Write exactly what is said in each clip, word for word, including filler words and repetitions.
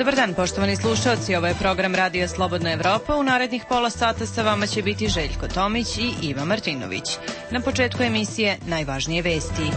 Dobar dan, poštovani slušalci, ovo je program Radija Slobodna Evropa. U narednih pola sata sa vama će biti Željko Tomić i Iva Martinović. Na početku emisije najvažnije vesti.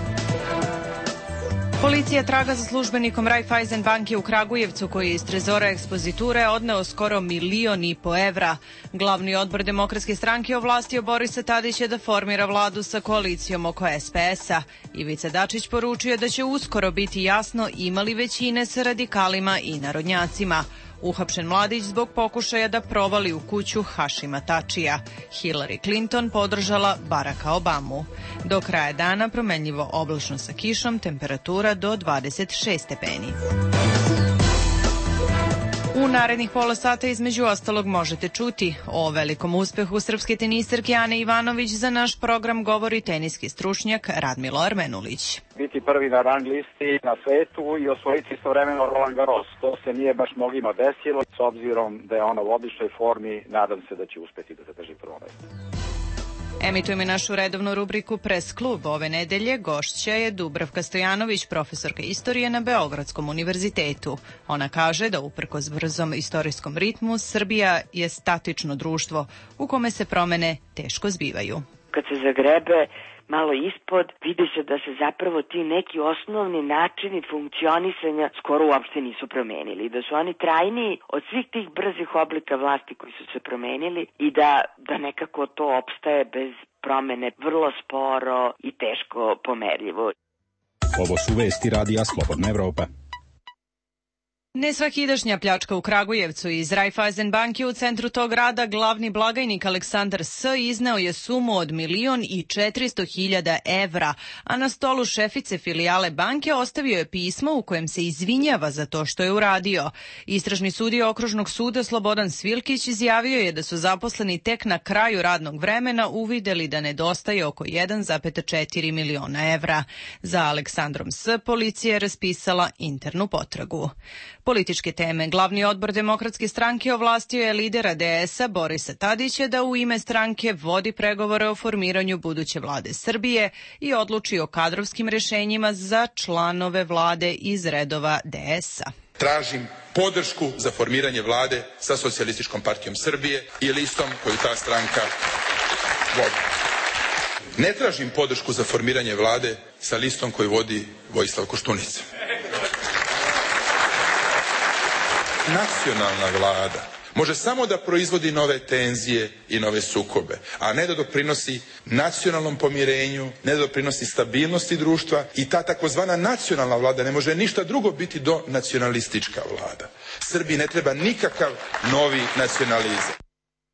Policija traga za službenikom Raiffeisen banke u Kragujevcu koji je iz trezora ekspoziture odneo skoro milion i po evra. Glavni odbor Demokratske stranke ovlastio Borisa Tadića da formira vladu sa koalicijom oko es pe es-a. Ivica Dačić poručio da će uskoro biti jasno imali većine sa radikalima i narodnjacima. Uhapšen mladić zbog pokušaja da provali u kuću Hašima Tačija. Hillary Clinton podržala Baracka Obamu. Do kraja dana promenljivo oblačno sa kišom, temperatura do dvadeset šest stepeni. U narednih pola sata između ostalog možete čuti o velikom uspehu srpske tenisarke Ane Ivanović. Za naš program govori teniski stručnjak Radmilo Armenulić. Biti prvi na rang listi na svetu i osvojiti istovremeno Roland Garros. To se nije baš mnogima desilo. S obzirom da je ona u odličnoj formi, nadam se da će uspeti da zadrži prvo mesto. Emitujemo našu redovnu rubriku Press klub. Ove nedelje gošća je Dubravka Stojanović, profesorka istorije na Beogradskom univerzitetu. Ona kaže da uprkos brzom istorijskom ritmu Srbija je statično društvo u kome se promene teško zbivaju. Kad se zagrebe malo ispod, vidi se da se zapravo ti neki osnovni načini funkcionisanja skoro uopšte nisu promenili. Da su oni trajniji od svih tih brzih oblika vlasti koji su se promenili i da, da nekako to opstaje bez promene vrlo sporo i teško pomerljivo. Ovo su vesti Radija Slobodna Evropa. Nesvakidašnja pljačka u Kragujevcu. Iz Raiffeisen banke u centru tog grada glavni blagajnik Aleksandar S. izneo je sumu od milion i četiristo hiljada evra, a na stolu šefice filijale banke ostavio je pismo u kojem se izvinjava za to što je uradio. Istražni sudija Okružnog suda Slobodan Svilkić izjavio je da su zaposleni tek na kraju radnog vremena uvideli da nedostaje oko jedan zarez četiri miliona evra. Za Aleksandrom S. policija je raspisala internu potragu. Političke teme. Glavni odbor Demokratske stranke ovlastio je lidera de es-a Borisa Tadića da u ime stranke vodi pregovore o formiranju buduće vlade Srbije i odluči o kadrovskim rešenjima za članove vlade iz redova de es-a. Tražim podršku za formiranje vlade sa Socijalističkom partijom Srbije i listom koju ta stranka vodi. Ne tražim podršku za formiranje vlade sa listom koju vodi Vojislav Koštunica. Nacionalna vlada može samo da proizvodi nove tenzije i nove sukobe, a ne da doprinosi nacionalnom pomirenju, ne da doprinosi stabilnosti društva i ta takozvana nacionalna vlada ne može ništa drugo biti do nacionalistička vlada. Srbiji ne treba nikakav novi nacionalizam,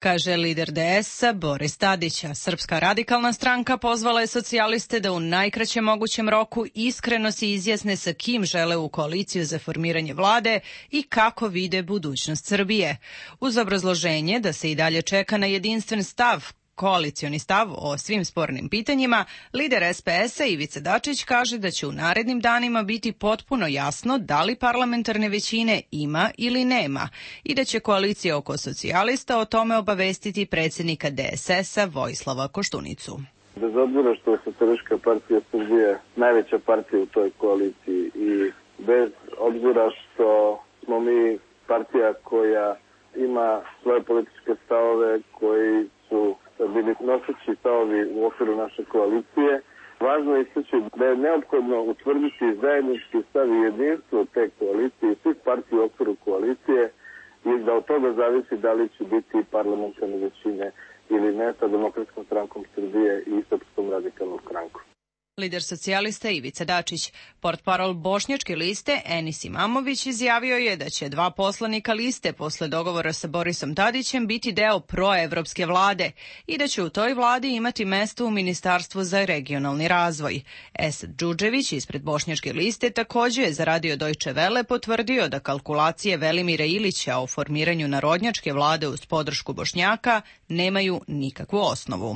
kaže lider de es-a Boris Tadić. Srpska radikalna stranka pozvala je socijaliste da u najkraćem mogućem roku iskreno se izjasne sa kim žele u koaliciju za formiranje vlade i kako vide budućnost Srbije. Uz obrazloženje da se i dalje čeka na jedinstven stav, koalicioni stav o svim spornim pitanjima, lider es pe es-a Ivica Dačić kaže da će u narednim danima biti potpuno jasno da li parlamentarne većine ima ili nema i da će koalicija oko socijalista o tome obavestiti predsjednika de es es-a Vojislava Koštunicu. Bez obzira što je Socijalistička partija Srbije najveća partija u toj koaliciji i bez obzira što smo mi partija koja ima svoje političke stavove koji su bili noseći stavovi u okviru naše koalicije. Važno je istaći da je neophodno utvrditi zajednički stav i jedinstvo te koalicije i svih partija u okviru koalicije i da od toga zavisi da li će biti parlamentarne većine ili ne sa Demokratskom strankom Srbije i Srpskom radikalnom strankom. Lider socijalista Ivica Dačić. Portparol bošnjačke liste Enis Imamović izjavio je da će dva poslanika liste posle dogovora sa Borisom Tadićem biti deo proevropske vlade i da će u toj vladi imati mesto u Ministarstvu za regionalni razvoj. Esad Đuđević ispred bošnjačke liste takođe je za radio Deutsche Welle potvrdio da kalkulacije Velimira Ilića o formiranju narodnjačke vlade uz podršku Bošnjaka nemaju nikakvu osnovu.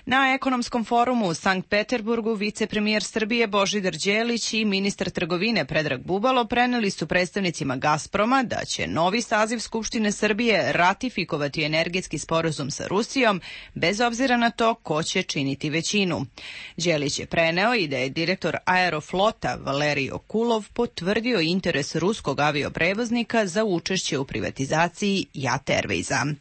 Na ekonomskom forumu u Sankt Peterburgu vicepremijer Srbije Božidar Đelić i ministar trgovine Predrag Bubalo preneli su predstavnicima Gazproma da će novi saziv Skupštine Srbije ratifikovati energetski sporazum sa Rusijom, bez obzira na to ko će činiti većinu. Đelić je preneo i da je direktor Aeroflota Valerij Okulov potvrdio interes ruskog avioprevoznika za učešće u privatizaciji Jat Airwaysa.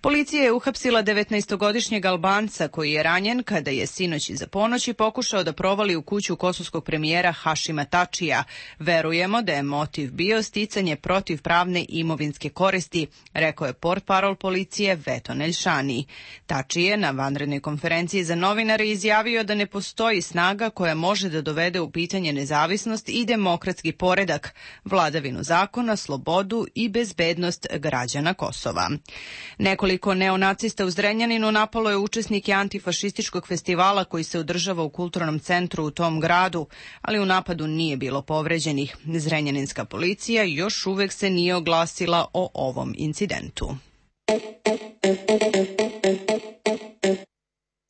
Policija je uhapsila devetnaestogodišnjeg Albanca koji je ranjen kada je sinoć iza ponoći pokušao da provali u kuću kosovskog premijera Hašima Tačija. Verujemo da je motiv bio sticanje protivpravne imovinske koristi, rekao je portparol policije Veto Neljšani. Tači je na vanrednoj konferenciji za novinare izjavio da ne postoji snaga koja može da dovede u pitanje nezavisnost i demokratski poredak, vladavinu zakona, slobodu i bezbednost građana Kosova. Nekoliko Nekoliko neonacista u Zrenjaninu napalo je učesnike antifašističkog festivala koji se održava u kulturnom centru u tom gradu, ali u napadu nije bilo povređenih. Zrenjaninska policija još uvek se nije oglasila o ovom incidentu.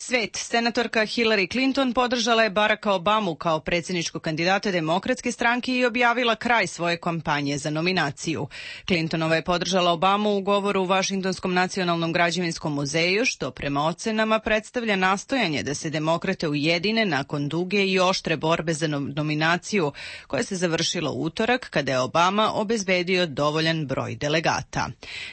Svet. Senatorka Hillary Clinton podržala je Baracka Obamu kao predsjedničkog kandidata Demokratske stranke i objavila kraj svoje kampanje za nominaciju. Clintonova je podržala Obamu u govoru u Vašingtonskom nacionalnom građevinskom muzeju, što prema ocenama predstavlja nastojanje da se demokrate ujedine nakon duge i oštre borbe za nominaciju, koja se završila u utorak kada je Obama obezbedio dovoljan broj delegata.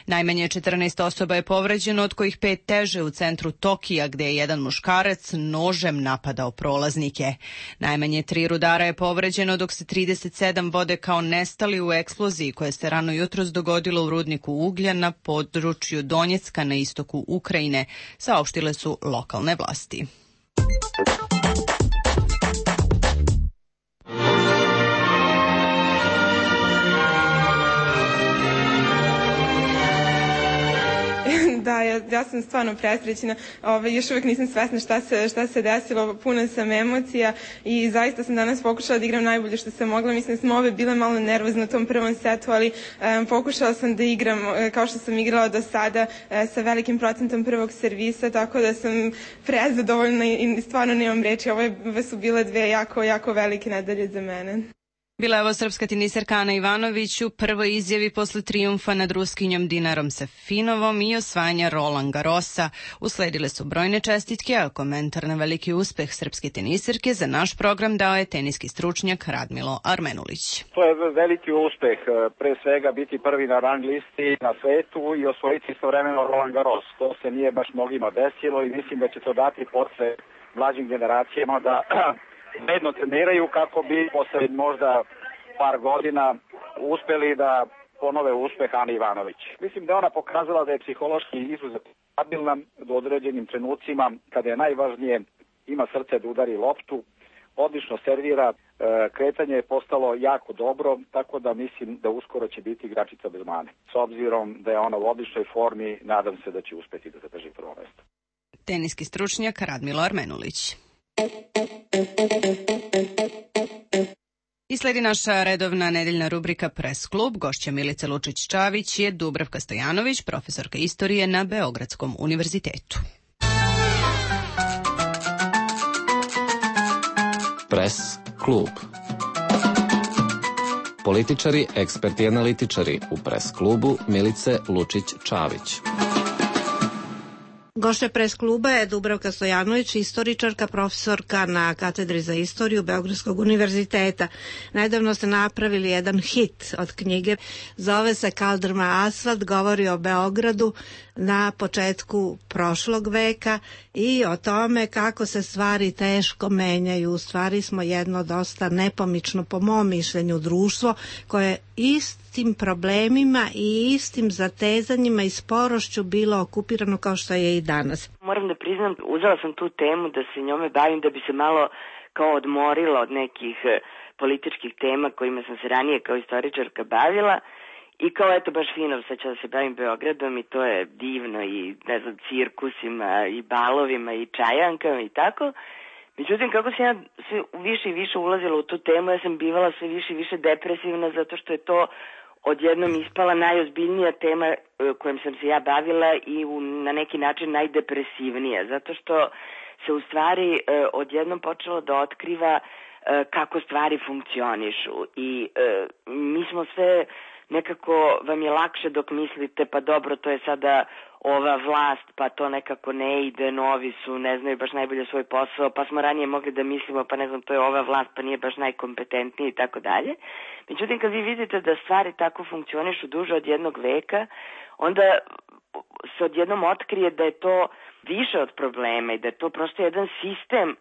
Najmanje četrnaest osoba je povređeno, od kojih pet teže u centru Tokija, gde je jedan muškarac nožem napadao prolaznike. Najmanje tri rudara je povređeno, dok se trideset sedam vode kao nestali u eksploziji koja se rano jutros dogodila u rudniku uglja na području Donjecka na istoku Ukrajine, saopštile su lokalne vlasti. Da, ja, ja sam stvarno presrećna. Ove, još uvijek nisam svesna šta se, šta se desilo, puno sam emocija i zaista sam danas pokušala da igram najbolje što sam mogla. Mislim da smo ove bile malo nervozne u tom prvom setu, ali um, pokušala sam da igram kao što sam igrala do sada, uh, sa velikim procentom prvog servisa, tako da sam prezadovoljna i, i stvarno nemam reči. Ove su bile dve jako, jako velike nedelje za mene. Bila je ovo srpska teniserka Ana Ivanović u prvoj izjavi posle trijumfa nad Ruskinjom Dinarom Safinovom i osvajanja Roland Garrosa. Usledile su brojne čestitke, a komentar na veliki uspeh srpske teniserke za naš program dao je teniski stručnjak Radmilo Armenulić. To je veliki uspeh, pre svega biti prvi na rang listi na svetu i osvojiti istovremeno Roland Garros. To se nije baš mnogima desilo i mislim da će to dati posle mlađim generacijama da bedno treniraju kako bi posle možda par godina uspeli da ponove uspeh Ani Ivanović. Mislim da ona pokazala da je psihološki izuzetno stabilna do određenim trenucima kada je najvažnije, ima srce da udari loptu, odlično servira, kretanje je postalo jako dobro, tako da mislim da uskoro će biti igračica bez mane. S obzirom da je ona u odličnoj formi, nadam se da će uspeti da zadrži prvo mesto. Teniski stručnjak Radmilo Armenulić. I sledi naša redovna nedeljna rubrika Press klub. Gošća Milice Lučić-Čavić je Dubravka Stojanović, profesorka istorije na Beogradskom univerzitetu. Press klub. Političari, eksperti i analitičari u Press klubu Milice Lučić-Čavić. Gošća Press kluba je Dubravka Stojanović, istoričarka, profesorka na katedri za istoriju Beogradskog univerziteta. Nedavno ste napravili jedan hit od knjige, zove se Kaldrma asfalt, govori o Beogradu na početku prošlog veka i o tome kako se stvari teško menjaju. U stvari smo jedno dosta nepomično, po mom mišljenju, društvo koje istim problemima i istim zatezanjima i sporošću bilo okupirano kao što je i danas. Moram da priznam, uzela sam tu temu da se njome bavim da bi se malo kao odmorila od nekih političkih tema kojima sam se ranije kao istoričarka bavila. I kao eto baš fino, sad ću da se bavim Beogradom i to je divno i ne znam, cirkusima i balovima i čajankama i tako. Međutim, kako sam ja sve više i više ulazila u tu temu, ja sam bivala sve više i više depresivna zato što je to odjednom ispala najozbiljnija tema kojom sam se ja bavila i u, na neki način najdepresivnija, zato što se u stvari odjednom počelo da otkriva kako stvari funkcionišu i mi smo sve nekako, vam je lakše dok mislite pa dobro, to je sada ova vlast, pa to nekako ne ide, novi su, ne znaju baš najbolje svoj posao, pa smo ranije mogli da mislimo, pa ne znam, to je ova vlast, pa nije baš najkompetentniji i tako dalje. Međutim, kad vi vidite da stvari tako funkcionišu duže od jednog veka, onda se odjednom otkrije da je to više od problema i da je to prosto jedan sistem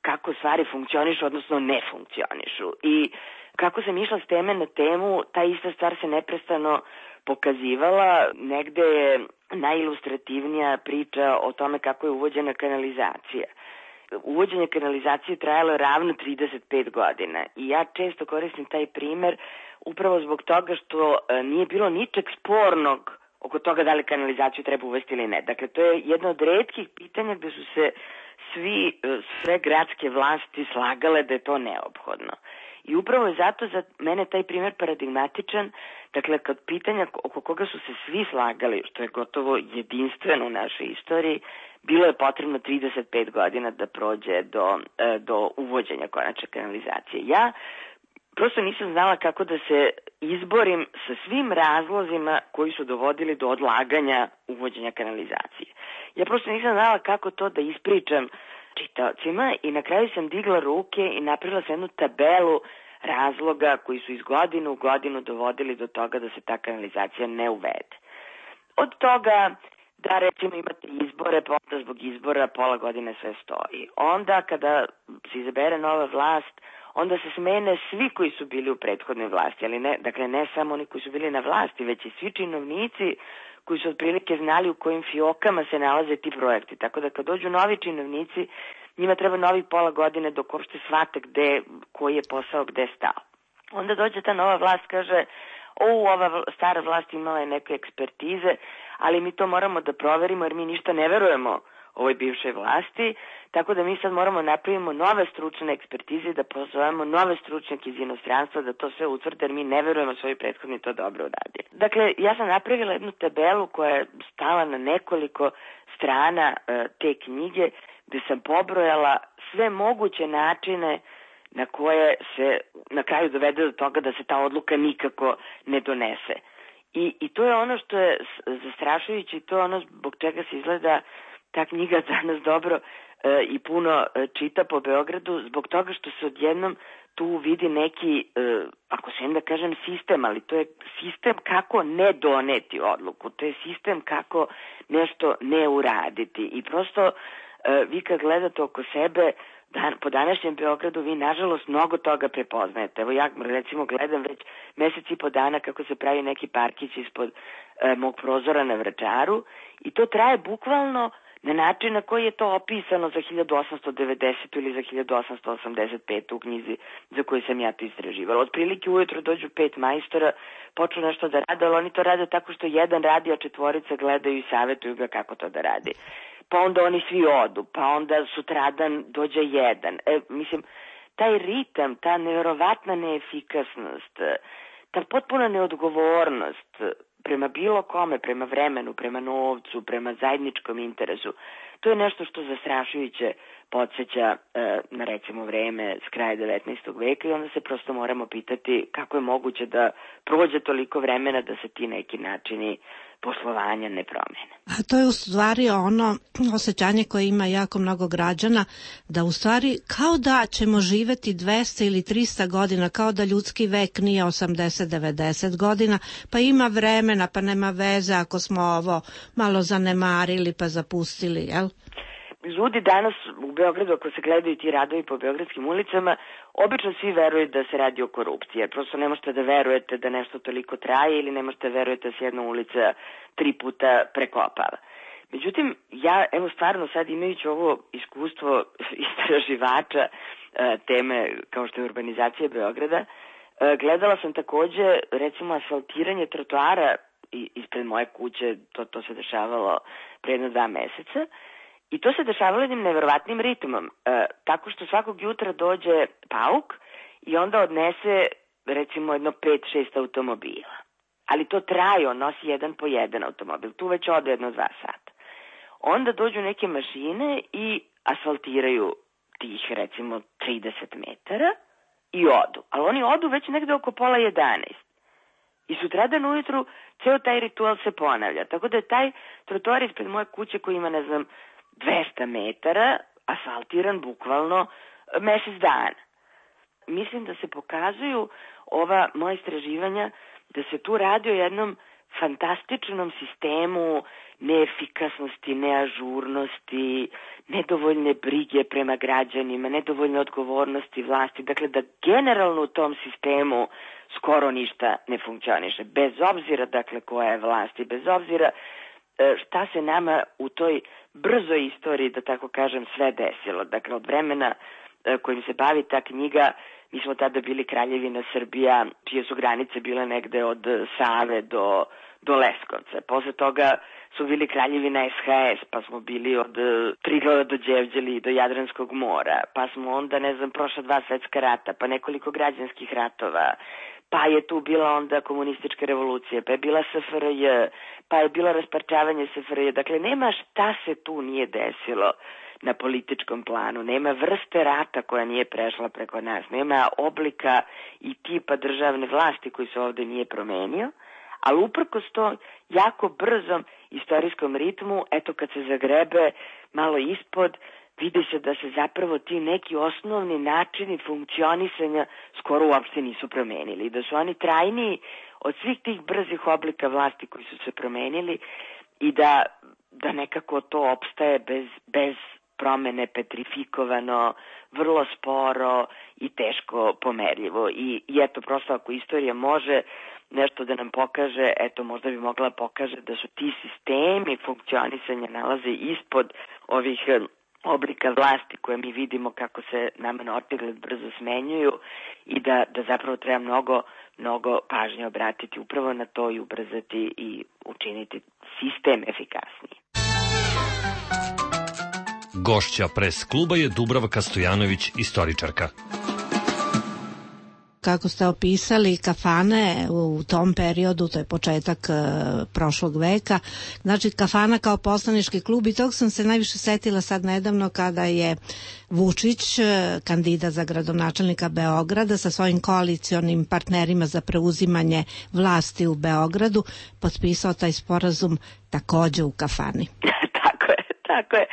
kako stvari funkcionišu, odnosno ne funkcionišu. I kako sam išla s teme na temu, ta ista stvar se neprestano pokazivala. Negde je najilustrativnija priča o tome kako je uvođena kanalizacija. Uvođenje kanalizacije trajalo je ravno trideset pet godina i ja često koristim taj primer upravo zbog toga što nije bilo ničeg spornog oko toga da li kanalizaciju treba uvesti ili ne. Dakle, to je jedno od retkih pitanja gde su se svi, sve gradske vlasti slagale da je to neophodno. I upravo je zato za mene taj primjer paradigmatičan, dakle, kad pitanja oko koga su se svi slagali, što je gotovo jedinstveno u našoj istoriji, bilo je potrebno trideset pet godina da prođe do, do uvođenja konačne kanalizacije. Ja prosto nisam znala kako da se izborim sa svim razlozima koji su dovodili do odlaganja uvođenja kanalizacije. Ja prosto nisam znala kako to da ispričam čitaocima i na kraju sam digla ruke i napravila sam jednu tabelu razloga koji su iz godine u godinu dovodili do toga da se ta kanalizacija ne uvede. Od toga da recimo imate izbore, pa onda zbog izbora pola godine sve stoji. Onda kada se izabere nova vlast, onda se smene svi koji su bili u prethodnoj vlasti, ali ne, dakle ne samo oni koji su bili na vlasti, već i svi činovnici koji su otprilike znali u kojim fiokama se nalaze ti projekti. Tako da kad dođu novi činovnici, njima treba novi pola godine dok uopšte shvate gde, koji je posao gde stao. Onda dođe ta nova vlast, kaže, o, ova stara vlast imala je neke ekspertize, ali mi to moramo da proverimo jer mi ništa ne verujemo ovoj bivšoj vlasti, tako da mi sad moramo napravimo nove stručne ekspertize, da pozovemo nove stručnjake iz inostranstva da to sve utvrde, jer mi ne verujemo svoji prethodni to dobro uradi. Dakle, ja sam napravila jednu tabelu koja je stala na nekoliko strana e, te knjige, gde sam pobrojala sve moguće načine na koje se na kraju dovede do toga da se ta odluka nikako ne donese. I, i to je ono što je zastrašujuće, to je ono zbog čega se izgleda ta knjiga danas dobro e, i puno e, čita po Beogradu, zbog toga što se odjednom tu vidi neki, e, ako se da kažem sistem, ali to je sistem kako ne doneti odluku, to je sistem kako nešto ne uraditi. I prosto e, vi kad gledate oko sebe, dan, po današnjem Beogradu vi nažalost mnogo toga prepoznajete. Evo ja recimo gledam već mesec i po dana kako se pravi neki parkić ispod e, mog prozora na Vračaru i to traje bukvalno na način na koji je to opisano za hiljadu osamsto devedesetu ili za hiljadu osamsto osamdeset petu u knjizi za koju sam ja to istraživala. Otprilike ujutro dođu pet majstora, počnu nešto da rade, ali oni to rade tako što jedan radi, a četvorica gledaju i savjetuju ga kako to da radi. Pa onda oni svi odu, pa onda sutradan dođe jedan. E, mislim, taj ritam, ta nevjerovatna neefikasnost, ta potpuna neodgovornost prema bilo kome, prema vremenu, prema novcu, prema zajedničkom interesu, to je nešto što zastrašujuće podsjeća e, na recimo vreme s kraja devetnaestog veka i onda se prosto moramo pitati kako je moguće da prođe toliko vremena da se ti neki načini poslovanja ne promene. A to je u stvari ono osjećanje koje ima jako mnogo građana, da u stvari kao da ćemo živeti dvesta ili trista godina, kao da ljudski vek nije osamdeset devedeset godina, pa ima vremena, pa nema veze ako smo ovo malo zanemarili pa zapustili, jel? Ljudi danas u Beogradu, ako se gledaju ti radovi po beogradskim ulicama, obično svi veruju da se radi o korupciji, jer prosto ne možete da verujete da nešto toliko traje ili ne možete da verujete da se jedna ulica tri puta prekopava. Međutim, ja, evo stvarno sad imajući ovo iskustvo istraživača teme kao što je urbanizacija Beograda, gledala sam takođe recimo asfaltiranje trotoara ispred moje kuće, to, to se dešavalo pre jedno dva meseca, i to se dešavalo jednim neverovatnim ritmom, e, tako što svakog jutra dođe pauk i onda odnese recimo jedno pet šest automobila. ali to traje, on nosi jedan po jedan automobil, tu već ode jedno dva sata. Onda dođu neke mašine i asfaltiraju tih recimo trideset metara i odu, ali oni odu već negde oko pola jedanaest. I sutradan ujutru ceo taj ritual se ponavlja, tako da je taj trotoar ispred moje kuće koji ima, ne znam, dvesta metara, asfaltiran bukvalno mesec dana. Mislim da se pokazuju ova moja istraživanja da se tu radi o jednom fantastičnom sistemu neefikasnosti, neažurnosti, nedovoljne brige prema građanima, nedovoljne odgovornosti vlasti. Dakle, da generalno u tom sistemu skoro ništa ne funkcioniše. Bez obzira, dakle, koja je vlast i bez obzira šta se nama u toj brzoj istoriji, da tako kažem, sve desilo. Dakle, od vremena kojim se bavi ta knjiga, mi smo tada bili Kraljevina Srbija, čije su granice bile negde od Save do, do Leskovca. Posle toga su bili Kraljevina S H S, pa smo bili od Triglava do Đevđeli do Jadranskog mora, pa smo onda, ne znam, prošla dva svetska rata, pa nekoliko građanskih ratova, pa je tu bila onda komunistička revolucija, pa je bila S F R J, pa je bilo rasparčavanje S F R J. Dakle, nema šta se tu nije desilo na političkom planu, nema vrste rata koja nije prešla preko nas, nema oblika i tipa državne vlasti koji se ovde nije promenio, ali uprkos to jako brzom istorijskom ritmu, eto kad se zagrebe malo ispod, vidi se da se zapravo ti neki osnovni načini funkcionisanja skoro uopšte nisu promenili, da su oni trajniji od svih tih brzih oblika vlasti koji su se promenili i da, da nekako to opstaje bez, bez promene, petrifikovano, vrlo sporo i teško pomerljivo. I, i eto, prosto ako istorija može nešto da nam pokaže, eto, možda bi mogla pokaže da su ti sistemi funkcionisanja nalaze ispod ovih oblika vlasti koje mi vidimo kako se nama na očigled brzo smenjuju i da, da zapravo treba mnogo, mnogo pažnje obratiti upravo na to i ubrzati i učiniti sistem efikasniji. Gošća Pres kluba je Dubravka Stojanović, istoričarka. Kako ste opisali kafane u tom periodu, to je početak e, prošlog veka, znači kafana kao poslanički klub, i tog sam se najviše setila sad nedavno kada je Vučić, kandidat za gradonačelnika Beograda, sa svojim koalicionim partnerima za preuzimanje vlasti u Beogradu, potpisao taj sporazum takođe u kafani. Tako je, tako je,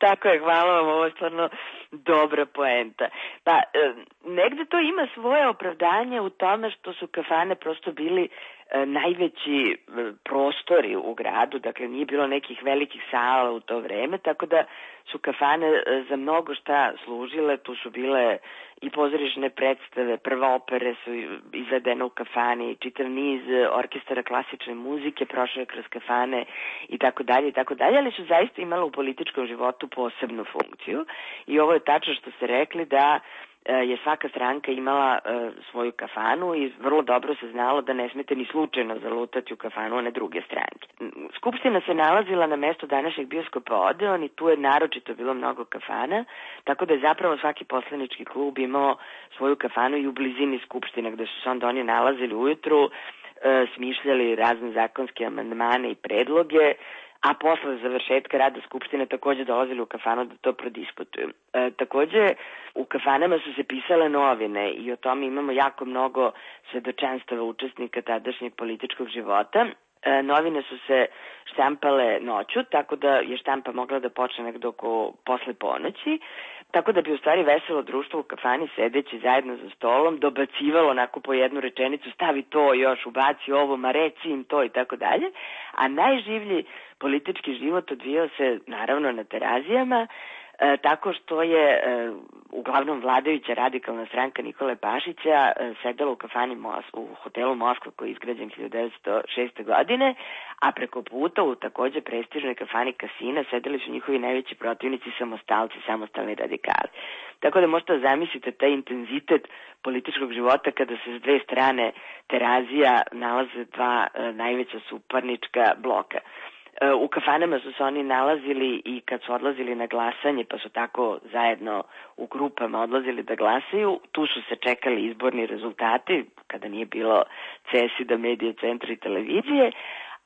tako je, hvala vam, ovo je stvarno dobra poenta. Pa, e, negde to ima svoje opravdanje u tome što su kafane prosto bili e, najveći e, prostori u gradu, dakle nije bilo nekih velikih sala u to vreme, tako da su kafane e, za mnogo šta služile, tu su bile i pozorišne predstave, prve opere su izvedene u kafani, čitav niz orkestara klasične muzike prošao je kroz kafane i tako dalje i tako dalje, ali su zaista imale u političkom životu posebnu funkciju i ovo je tačno što ste rekli da je svaka stranka imala e, svoju kafanu i vrlo dobro se znalo da ne smete ni slučajno zalutati u kafanu one druge stranke. Skupština se nalazila na mestu današnjeg bioskopa Odeon i tu je naročito bilo mnogo kafana, tako da je zapravo svaki poslanički klub imao svoju kafanu i u blizini skupštine gde su se onda oni nalazili ujutru, e, smišljali razne zakonske amandmane i predloge, a posle završetka rada Skupštine takođe dolazili u kafanu da to prodiskutuju. E, takođe, u kafanama su se pisale novine i o tome imamo jako mnogo svedočanstava učesnika tadašnjeg političkog života. E, novine su se štampale noću, tako da je štampa mogla da počne nekdo oko posle ponoći, tako da bi u stvari veselo društvo u kafani sedeći zajedno za stolom dobacivalo onako po jednu rečenicu, stavi to još, ubaci ovo, ma reci im to i tako dalje, a najživlji politički život odvijao se naravno na terazijama, e, tako što je e, uglavnom vladajuća radikalna stranka Nikole Pašića e, sedela u kafani Mos, u hotelu Moskva koji je izgrađen hiljadu devetsto šeste. godine, a preko puta u takođe prestižnoj kafani Kasina sedeli su njihovi najveći protivnici samostalci, samostalni radikali. Tako da možete zamislite taj intenzitet političkog života kada se s dve strane terazija nalaze dva e, najveća suparnička bloka. U kafanama su se oni nalazili i kad su odlazili na glasanje, pa su tako zajedno u grupama odlazili da glasaju, tu su se čekali izborni rezultati, kada nije bilo C E S I D A, medije, centra i televizije,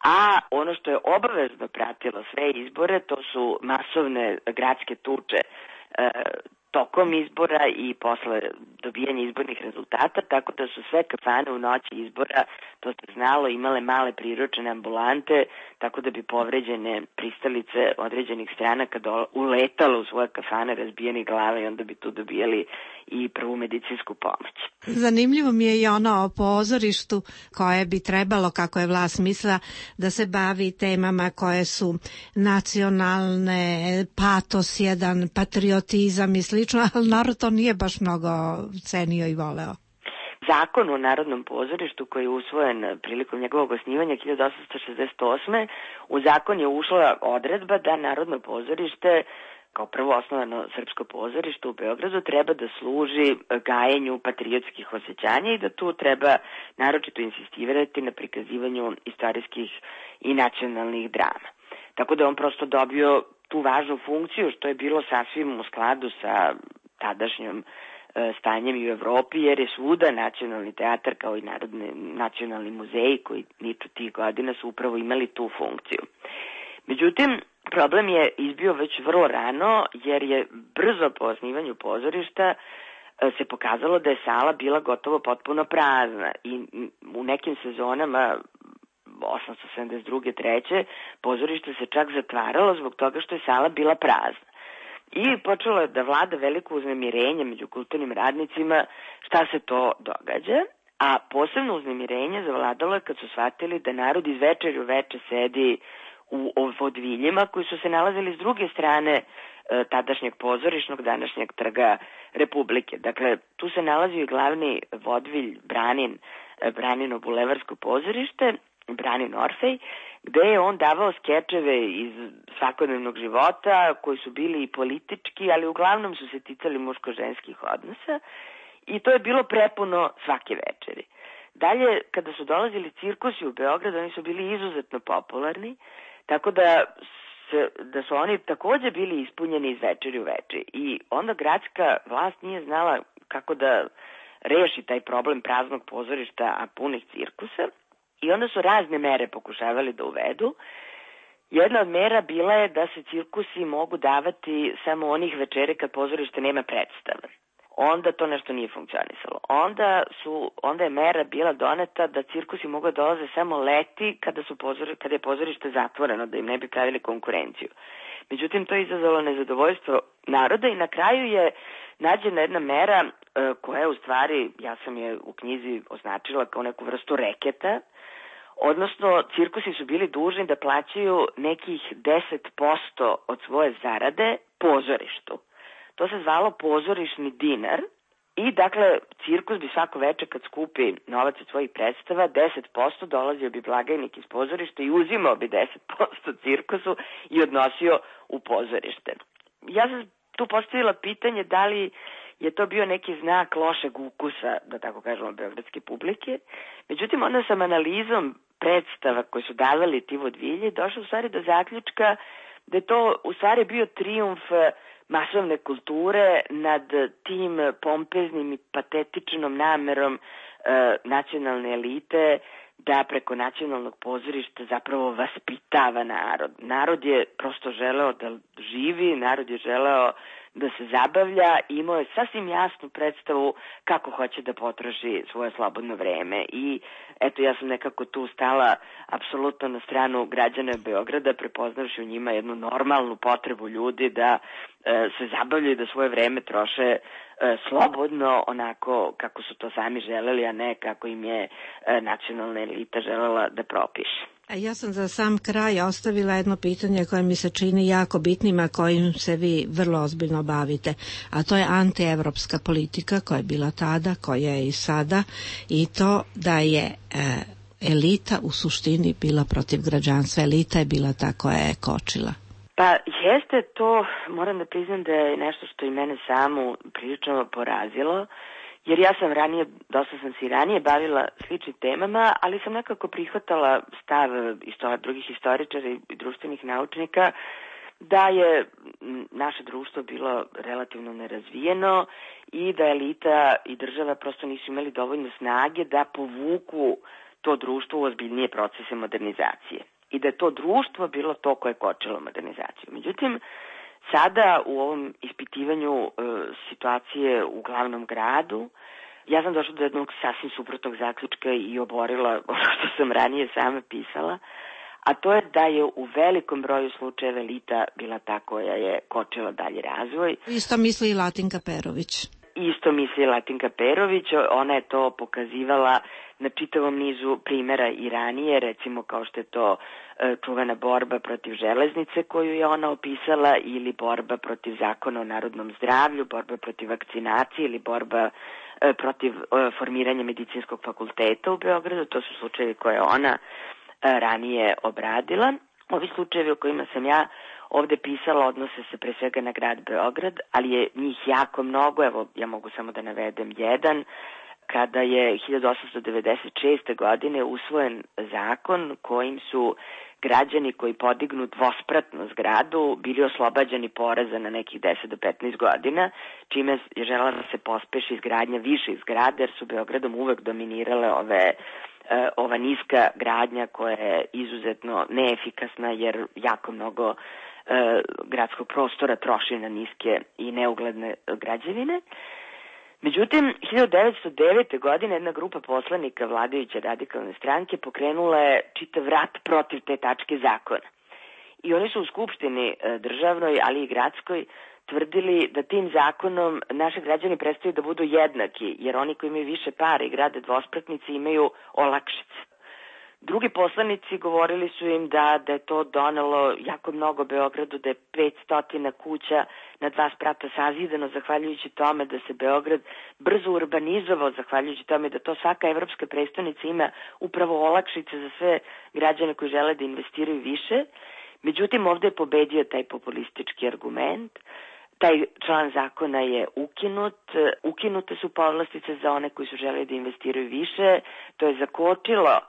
a ono što je obavezno pratilo sve izbore, to su masovne gradske tuče e, tokom izbora i posle dobijanja izbornih rezultata, tako da su sve kafane u noći izbora, to se znalo, imale male priručene ambulante, tako da bi povređene pristalice određenih stranaka uletalo u svoje kafane razbijenih glava i onda bi tu dobijali i prvu medicinsku pomoć. Zanimljivo mi je i ono o pozorištu koje bi trebalo, kako je vlast mislila, da se bavi temama koje su nacionalne, patos jedan, patriotizam i slično, ali narod to nije baš mnogo cenio i voleo. Zakon o Narodnom pozorištu koji je usvojen prilikom njegovog osnivanja hiljadu osamsto šezdeset osme u zakon je ušla odredba da Narodno pozorište kao prvo osnovano srpsko pozorište u Beogradu treba da služi gajenju patriotskih osjećanja i da tu treba naročito insistirati na prikazivanju istorijskih i nacionalnih drama. Tako da on prosto dobio tu važnu funkciju što je bilo sasvim u skladu sa tadašnjom stanjem i u Evropi, jer je svuda nacionalni teatar kao i narodni nacionalni muzeji koji niču tih godina su upravo imali tu funkciju. Međutim, problem je izbio već vrlo rano, jer je brzo po osnivanju pozorišta se pokazalo da je sala bila gotovo potpuno prazna i u nekim sezonama osamsto sedamdeset druge treće pozorište se čak zatvaralo zbog toga što je sala bila prazna. I počelo je da vlada veliko uznemirenje među kulturnim radnicima šta se to događa, a posebno uznemirenje zavladalo je kad su shvatili da narod iz večeri u veče sedi u vodviljima koji su se nalazili s druge strane e, tadašnjeg pozorišnog, današnjeg trga Republike. Dakle, tu se nalazio i glavni vodvilj Branin, Branino bulevarsko pozorište, Branin Orfej, gde je on davao skečeve iz svakodnevnog života koji su bili i politički, ali uglavnom su se ticali muško-ženskih odnosa i to je bilo prepuno svake večeri. Dalje, kada su dolazili cirkusi u Beograd, oni su bili izuzetno popularni, tako da, se, da su oni takođe bili ispunjeni iz večeri u večeri. I onda gradska vlast nije znala kako da reši taj problem praznog pozorišta, a punih cirkusa. I onda su razne mere pokušavali da uvedu. Jedna od mera bila je da se cirkusi mogu davati samo onih večeri kad pozorište nema predstave. Onda to nešto nije funkcionisalo. Onda, su, onda je mera bila doneta da cirkusi mogu da dolaze samo leti kada, su pozori, kada je pozorište zatvoreno, da im ne bi pravili konkurenciju. Međutim, to je izazvalo nezadovoljstvo naroda i na kraju je nađena jedna mera e, koja je u stvari, ja sam je u knjizi označila kao neku vrstu reketa, odnosno cirkusi su bili dužni da plaćaju nekih deset posto od svoje zarade pozorištu. To se zvalo pozorišni dinar i dakle cirkus bi svako večer kad skupi novac od svojih predstava, deset posto dolazio bi blagajnik iz pozorišta i uzimao bi deset posto cirkusu i odnosio u pozorište. Ja sam tu postavila pitanje da li je to bio neki znak lošeg ukusa, da tako kažemo, beogradske publike. Međutim, onda sam analizom predstava koje su davali ti vodvilji došla u stvari do zaključka da je to u stvari bio trijumf masovne kulture nad tim pompeznim i patetičnom namerom e, nacionalne elite da preko nacionalnog pozorišta zapravo vaspitava narod. Narod je prosto želeo da živi, narod je želeo da se zabavlja i imao je sasvim jasnu predstavu kako hoće da potroši svoje slobodno vreme. I eto, ja sam nekako tu stala apsolutno na stranu građana Beograda, prepoznavši u njima jednu normalnu potrebu ljudi da e, se zabavljaju, da svoje vreme troše e, slobodno, onako kako su to sami želeli, a ne kako im je e, nacionalna elita želela da propiše. A ja sam za sam kraj ostavila jedno pitanje koje mi se čini jako bitnima, kojim se vi vrlo ozbiljno bavite, a to je antievropska politika koja je bila tada, koja je i sada, i to da je e, elita u suštini bila protiv građanstva, elita je bila ta koja je kočila. Pa jeste to, moram da priznam da je nešto što i mene samu prilično porazilo, jer ja sam ranije, dosta sam se i ranije bavila sličnim temama, ali sam nekako prihvatala stav istor, drugih historičara i društvenih naučnika da je naše društvo bilo relativno nerazvijeno i da elita i država prosto nisu imali dovoljno snage da povuku to društvo u ozbiljnije procese modernizacije. I da je to društvo bilo to koje je kočilo modernizaciju. Međutim, sada u ovom ispitivanju e, situacije u glavnom gradu, ja sam došla do jednog sasvim suprotnog zaključka i oborila ono što sam ranije sama pisala, a to je da je u velikom broju slučajeva elita bila ta koja je kočila dalji razvoj. Isto misli i Latinka Perović. Isto misli Latinka Perović, ona je to pokazivala na čitavom nizu primjera i ranije, recimo kao što je to e, čuvena borba protiv železnice koju je ona opisala, ili borba protiv zakona o narodnom zdravlju, borba protiv vakcinacije ili borba e, protiv e, formiranja medicinskog fakulteta u Beogradu. To su slučajevi koje ona e, ranije obradila. Ovi slučajevi o kojima sam ja ovde pisala odnose se pre svega na grad Beograd, ali je njih jako mnogo. Evo, ja mogu samo da navedem jedan. Kada je hiljadu osamsto devedeset šeste. godine usvojen zakon kojim su građani koji podignu dvospratnu zgradu bili oslobađani poreza na nekih deset do petnaest godina, čime je želela da se pospeši izgradnja viših zgrada, jer su Beogradom uvek dominirale ove ova niska gradnja koja je izuzetno neefikasna, jer jako mnogo e, gradskog prostora troši na niske i neugledne građevine. Međutim, hiljadu devetsto devete. godine jedna grupa poslanika vladajuće radikalne stranke pokrenula je čitav rat protiv te tačke zakona. I oni su u Skupštini državnoj, ali i gradskoj, tvrdili da tim zakonom naši građani prestaju da budu jednaki, jer oni koji imaju više para i grade dvospratnice imaju olakšice. Drugi poslanici govorili su im da, da je to donelo jako mnogo Beogradu, da je petsto kuća na dva sprata sazidano zahvaljujući tome da se Beograd brzo urbanizovao, zahvaljujući tome da to svaka evropska prestonica ima upravo olakšice za sve građane koji žele da investiraju više. Međutim, ovde je pobedio taj populistički argument. Taj član zakona je ukinut, ukinute su povlastice za one koji su želeli da investiraju više, to je zakočilo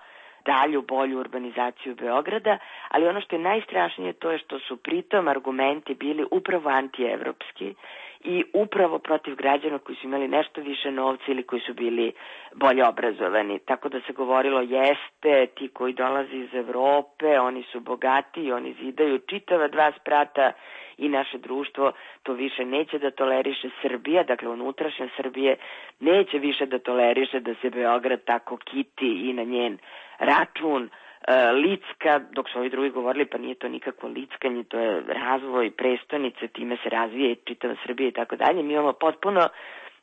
dalju, bolju urbanizaciju Beograda, ali ono što je najstrašnije to je što su pritom argumenti bili upravo antievropski i upravo protiv građana koji su imali nešto više novca ili koji su bili bolje obrazovani. Tako da se govorilo jeste, ti koji dolaze iz Evrope, oni su bogati, oni zidaju čitava dva sprata i naše društvo to više neće da toleriše. Srbija, dakle unutrašnja Srbije, neće više da toleriše da se Beograd tako kiti i na njen račun e, licka, dok su ovi drugi govorili pa nije to nikakvo lickanje, to je razvoj prestonice, time se razvije čitava Srbija i tako dalje. Mi imamo potpuno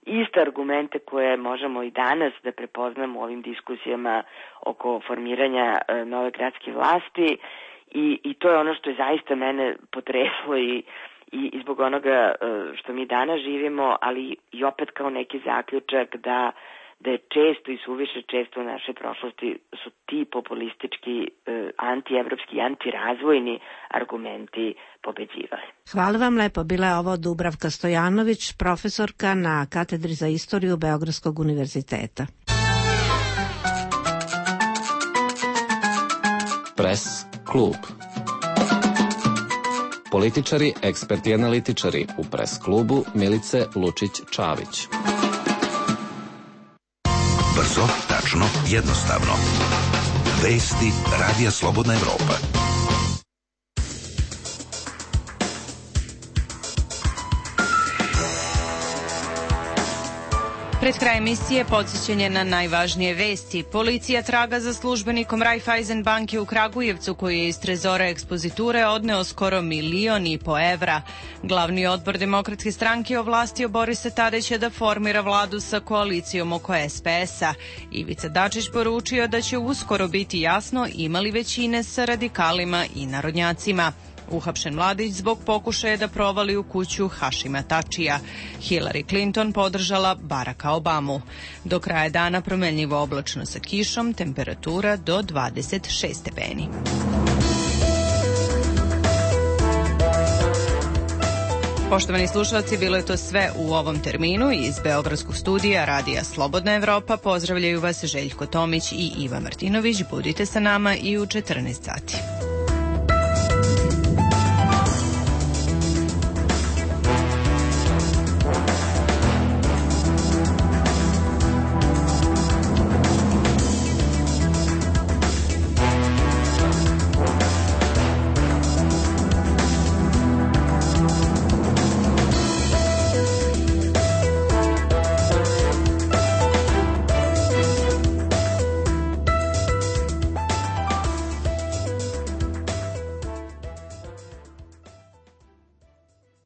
iste argumente koje možemo i danas da prepoznamo u ovim diskusijama oko formiranja e, nove gradske vlasti. I, i to je ono što je zaista mene potreslo i, i, i zbog onoga što mi danas živimo, ali i opet kao neki zaključak da, da je često i suviše često u našoj prošlosti su ti populistički, antievropski i antirazvojni argumenti pobeđivali. Hvala vam lepo. Bila je ovo Dubravka Stojanović, profesorka na katedri za istoriju Beogradskog univerziteta. Pres klub. Političari, eksperti i analitičari u Pres klubu Milice Lučić-Čavić. Brzo, tačno, jednostavno. Vesti Radija Slobodna Evropa. Pred kraj emisije podsjećanje na najvažnije vesti. Policija traga za službenikom Raiffeisen banke u Kragujevcu koji je iz trezora ekspoziture odneo skoro milion i po evra. Glavni odbor Demokratske stranke ovlastio Borisa Tadića da formira vladu sa koalicijom oko es pe es-a. Ivica Dačić poručio da će uskoro biti jasno imali većine sa radikalima i narodnjacima. Uhapšen mladić zbog pokušaja da provali u kuću Hašima Tačija. Hillary Clinton podržala Baracka Obamu. Do kraja dana promenljivo oblačno sa kišom, temperatura do dvadeset šest stepeni. Poštovani slušalci, bilo je to sve u ovom terminu. Iz Beogradskog studija Radija Slobodna Evropa pozdravljaju vas Željko Tomić i Iva Martinović. Budite sa nama i u četrnaest sati.